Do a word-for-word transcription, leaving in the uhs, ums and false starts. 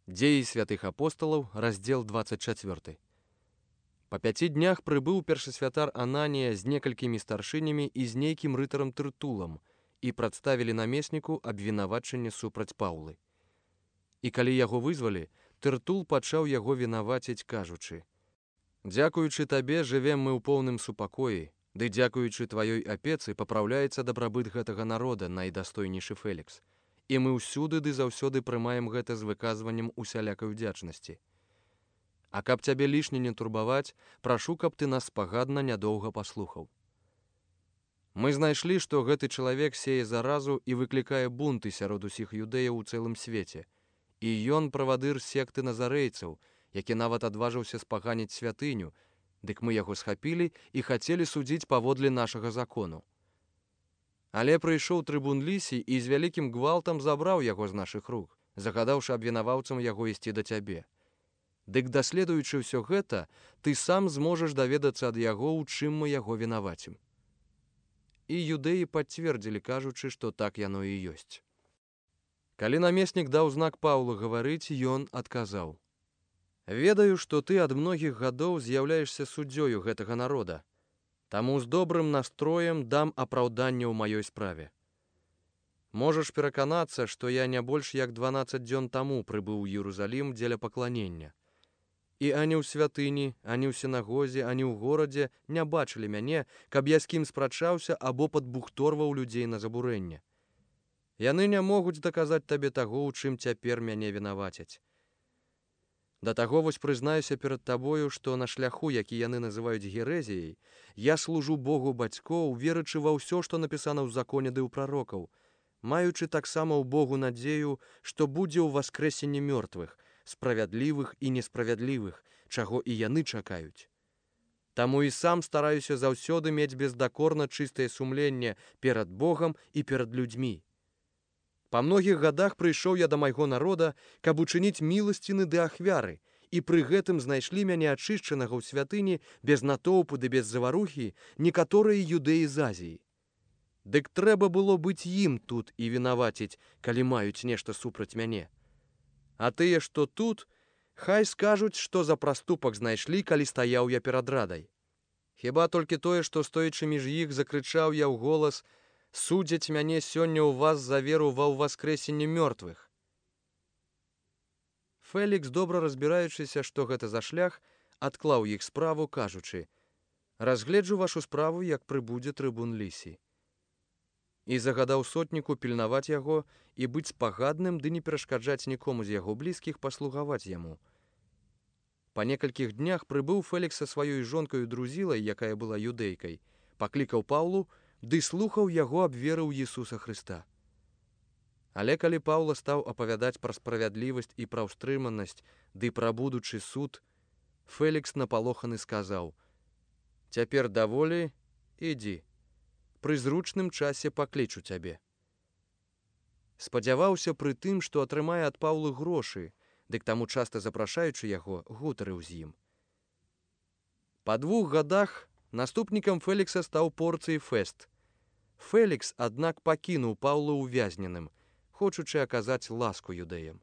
Дзеі святых апосталаў, раздзел двадцать четыре. Па пяці днях прыбыў першасвятар Ананія з некалькімі старшынямі і з нейкім рытарам Тыртулам і прадставілі намесніку абвінавачанне супраць Паўлы. І калі яго вызвалі, Тыртул пачаў яго вінаваціць, кажучы: «Дзякуючы табе жывем мы ў поўным супакоі, ды дзякуючы тваёй апецы папраўляецца дабрабыт гэтага народа, найдастойнейшы Фелікс. І мы ўсюды ды заўсёды прымаем гэта з выказваннем усялякай удзячнасці. А каб цябе лішне не турбаваць, прашу, каб ты нас спагадна нядоўга паслухаў. Мы знайшлі, што гэты чалавек сее заразу і выклікае бунты сярод усіх юдэяў у цэлым свеце. І ён правадыр секты назарэйцаў, які нават адважыўся спаганіць святыню, дык мы яго схапілі і хацелі судзіць паводле нашага закону. Але прыйшоў трыбун Лісій і з вялікім гвалтам забраў яго з нашых рук, загадаўшы абвінаваўцам яго ісці да цябе. Дык даследуючы ўсё гэта, ты сам зможаш даведацца ад яго, у чым мы яго вінавацім». І юдэі пацвердзілі, кажучы, што так яно і ёсць. Калі намеснік даў знак Паўлу гаварыць, ён адказаў: «Ведаю, што ты ад многіх гадоў з'яўляешся суддзёю гэтага народа. Таму з добрым настроем дам апраўданне ў маёй справе. Можаш пераканацца, што я не больш як дванаццаць дзён таму прыбыў у Іерусалім дзеля пакланення. І ані ў святыні, ані ў сінагозе, ані ў горадзе не бачылі мяне, каб я з кім спрачаўся або падбухторваў людзей на забурэнне. Яны не могуць даказаць табе таго, у чым цяпер мяне вінавацяць. Да таго вось прызнаюся перад табою, што на шляху, які яны называюць герэзіяй, я служу Богу бацькоў, верачы ва ўсё, што напісана ў законе ды ў прарокаў, маючы таксама ў Богу надзею, што будзе ў васкрэсенні мёртвых, справядлівых і несправядлівых, чаго і яны чакаюць. Таму і сам стараюся заўсёды мець бездакорна чыстае сумленне перад Богам і перад людзьмі. Па многіх гадах прыйшоў я да майго народа, каб учыніць міласціны ды ахвяры, і пры гэтым знайшлі мяне ачышчанага ў святыні без натоўпу ды без заварухі некаторыя юдэі з Азіі. Дык трэба было быць ім тут і вінаваціць, калі маюць нешта супраць мяне. А тыя, што тут, хай скажуць, што за праступак знайшлі, калі стаяў я перад радай. Хіба толькі тое, што стоячы між іх, закрычаў я ў голас: «Судзяць мяне сёння ў вас за веру ва ўваскрэсенне мёртвых». Фелікс, добра разбіраючыся, што гэта за шлях, адклаў іх справу, кажучы: «Разгледжу вашу справу, як прыбудзе трыбун Лісій». І загадаў сотніку пільнаваць яго і быць спагадным ды не перашкаджаць нікому з яго блізкіх паслугаваць яму. Па некалькіх днях прыбыў Фелікс са сваёй жонкаю Друзілай, якая была юдэйкай, паклікаў Паўлу ды слухаў яго аб веры ў Ісуса Хрыста. Але калі Паўла стаў апавядаць пра справядлівасць і пра ўстрыманасць ды пра будучы суд, Фелікс напалоханы сказаў: «Цяпер даволі, ідзі. Пры зручным часе паклічу цябе». Спадзяваўся пры тым, што атрымае ад Паўлы грошы, дык таму часта запрашаючы яго, гутарыў з ім. Па двух гадах наступнікам Фелікса стаў Порцый Фэст. Фелікс, аднак, пакінуў Паўла ўвязненым, хочучы аказаць ласку юдэям.